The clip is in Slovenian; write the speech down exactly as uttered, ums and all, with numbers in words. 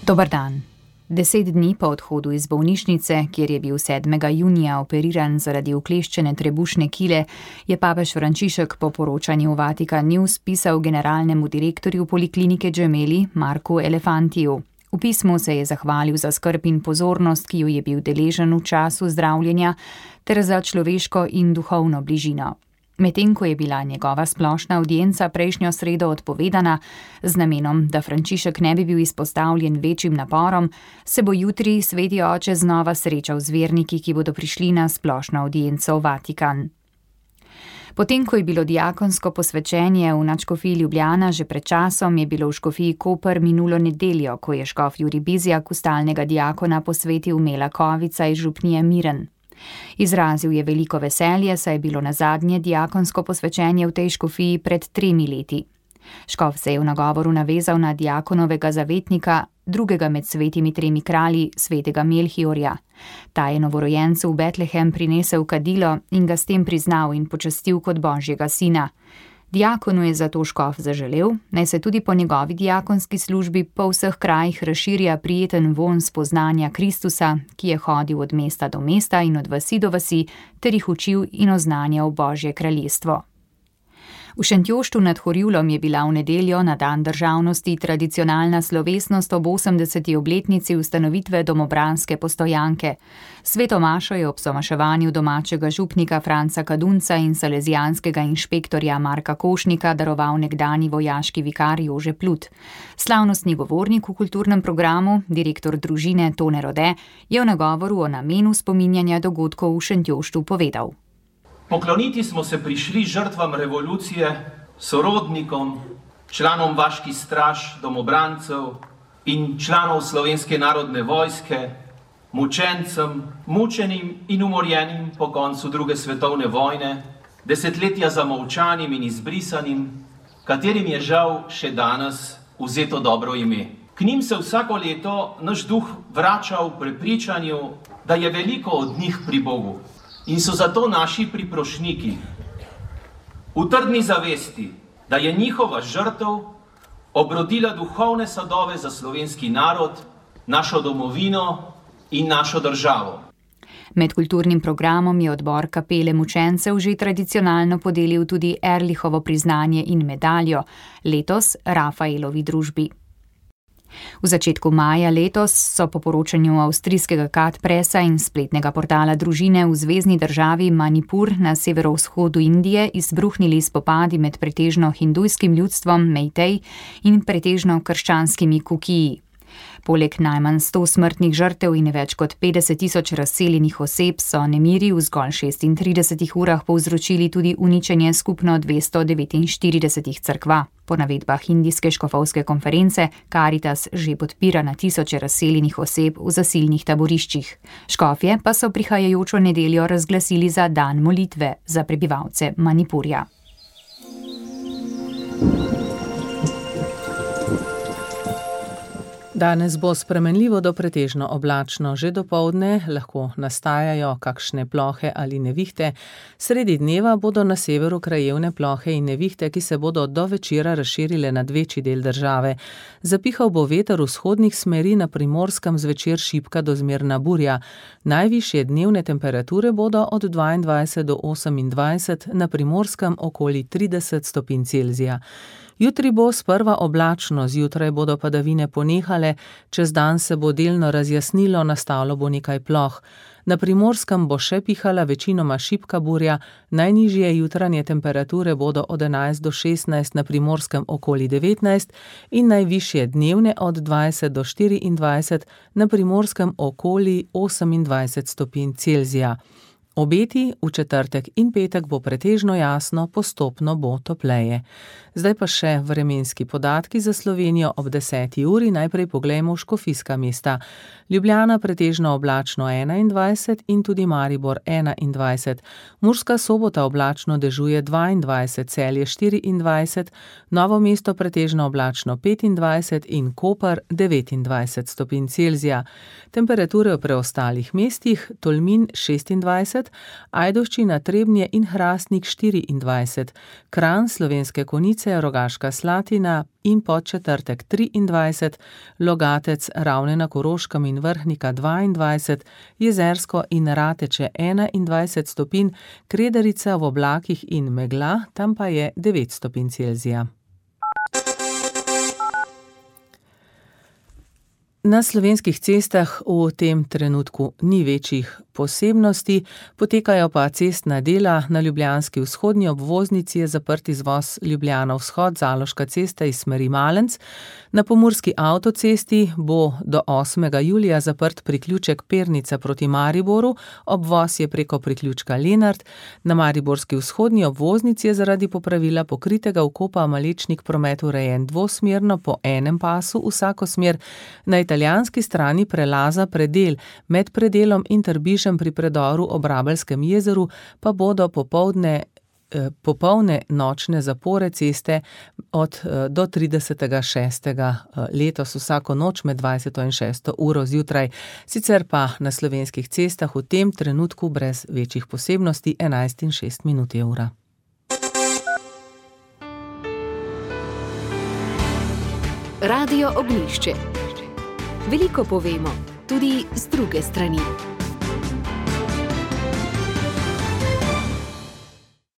Dober dan. Deset dni po odhodu iz bolnišnice, kjer je bil sedmega junija operiran zaradi ukleščene trebušne kile, je papež Frančišek po poročanju v Vatikan News pisal generalnemu direktorju poliklinike Gemelli Marku Elefantiju. V pismu se je zahvalil za skrb in pozornost, ki jo je bil deležen v času zdravljenja, ter za človeško in duhovno bližino. Medtem ko je bila njegova splošna avdienca prejšnjo sredo odpovedana z namenom, da Frančišek ne bi bil izpostavljen večjim naporom, se bo jutri sveti oče znova srečal z verniki, ki bodo prišli na splošno avdienco v Vatikan. Potem, ko je bilo diakonsko posvečenje v nadškofiji Ljubljana že pred časom, je bilo v škofiji Koper minulo nedeljo, ko je škof Jurij Bizjak stalnega diakona posvetil Mela Kovica iz župnije Miren. Izrazil je veliko veselje, saj je bilo nazadnje diakonsko posvečenje v tej škofiji pred tremi leti. Škof se je v nagovoru navezal na diakonovega zavetnika, drugega med svetimi tremi kralji, svetega Melhiorja. Ta je novorojencu v Betlehem prinesel kadilo in ga s tem priznal in počastil kot božjega sina. Diakonu je zato škof zaželel, naj se tudi po njegovi diakonski službi po vseh krajih razširja prijeten vonj spoznanja Kristusa, ki je hodil od mesta do mesta in od vasi do vasi, ter jih učil in oznanjal Božje kraljestvo. V Šentjoštu nad Horjulom je bila v nedeljo na dan državnosti tradicionalna slovesnost ob osemdeseti obletnici ustanovitve domobranske postojanke. Sveto mašo je ob somaševanju domačega župnika Franca Kadunca in salezijanskega inšpektorja Marka Košnika daroval nekdanji vojaški vikar Jože Plut. Slavnostni govornik v kulturnem programu, direktor družine Tone Rode, je v nagovoru o namenu spominjanja dogodkov v Šentjoštu povedal. Pokloniti smo se prišli žrtvam revolucije, sorodnikom, članom vaških straž, domobrancev in članov Slovenske narodne vojske, mučencem, mučenim in umorjenim po koncu druge svetovne vojne, desetletja zamolčanim in izbrisanim, katerim je žal še danes vzeto dobro ime. K njim se vsako leto naš duh vrača v prepričanju, da je veliko od njih pri Bogu. In so zato naši priprošniki v trdni zavesti, da je njihova žrtev obrodila duhovne sadove za slovenski narod, našo domovino in našo državo. Med kulturnim programom je odbor kapele mučencev že tradicionalno podelil tudi Erlihovo priznanje in medaljo, letos Rafaelovi družbi. V začetku maja letos so po poročanju avstrijskega Kat Pressa in spletnega portala družine v zvezni državi Manipur na severovzhodu Indije izbruhnili spopadi med pretežno hindujskim ljudstvom Meitei in pretežno krščanskimi Kukiji. Poleg najmanj sto smrtnih žrtev in več kot petdeset tisoč razseljenih oseb so nemiri v zgolj šestintridesetih urah povzročili tudi uničenje skupno dvesto devetinštiridesetih cerkva. Po navedbah indijske škofovske konference Karitas že podpira na tisoče razseljenih oseb v zasilnih taboriščih. Škofje pa so prihajajočo nedeljo razglasili za dan molitve za prebivalce Manipurja. Danes bo spremenljivo do pretežno oblačno, že dopoldne lahko nastajajo kakšne plohe ali nevihte. Sredi dneva bodo na severu krajevne plohe in nevihte, ki se bodo do večera razširile nad večji del države. Zapihal bo veter vzhodnih smeri, na Primorskem zvečer šibka do zmerna burja. Najvišje dnevne temperature bodo od dvaindvajset do osemindvajset, na Primorskem okoli trideset stopinj Celzija. Jutri bo sprva oblačno, zjutraj bodo padavine ponehale, čez dan se bo delno razjasnilo, nastalo bo nekaj ploh. Na Primorskem bo še pihala večinoma šibka burja, najnižje jutranje temperature bodo od enajst do šestnajst, na Primorskem okoli devetnajst in najvišje dnevne od dvajset do štiriindvajset, na Primorskem okoli osemindvajset stopinj Celzija. Obeti v četrtek in petek bo pretežno jasno, postopno bo topleje. Zdaj pa še vremenski podatki za Slovenijo ob deseti uri. Najprej poglejmo škofijska mesta. Ljubljana pretežno oblačno enaindvajset in tudi Maribor enaindvajset. Murska Sobota oblačno dežuje dvaindvajset, Celje štiriindvajset, Novo mesto pretežno oblačno petindvajset in Koper devetindvajset stopinj Celzija. Temperature v preostalih mestih: Tolmin šestindvajset, dvajset, Ajdovščina, Trebnje in Hrastnik štiriindvajset, Kranj, Slovenske Konjice, Rogaška Slatina in Podčetrtek triindvajset, Logatec, Ravne na Koroškem in Vrhnika dvaindvajset, Jezersko in Rateče enaindvajset stopinj, Kredarica v oblakih in megla, tam pa je devet stopinj Celzija. Na slovenskih cestah v tem trenutku ni večjih posebnosti, potekajo pa cestna dela. Na ljubljanski vzhodni obvoznici je zaprt izvoz Ljubljana vzhod, Zaloška cesta iz smeri Malenc. Na pomurski avtocesti bo do osmega julija zaprt priključek Pernica proti Mariboru, obvoz je preko priključka Lenart. Na mariborski vzhodni obvoznici je zaradi popravila pokritega vkopa Malečnik promet urejen dvosmerno po enem pasu vsako smer. Na italijanski strani prelaza Predel, med Predelom in Trbižem pri predoru ob Rabelskem jezeru pa bodo popoldne eh, popolne nočne zapore ceste od eh, do tridesetega šestega letos vsako noč med dvajseto in šesto uro zjutraj. Sicer pa na slovenskih cestah v tem trenutku brez večjih posebnosti enajst in šest minut je ura. Radio Ognjišče. Veliko povemo, tudi z druge strani.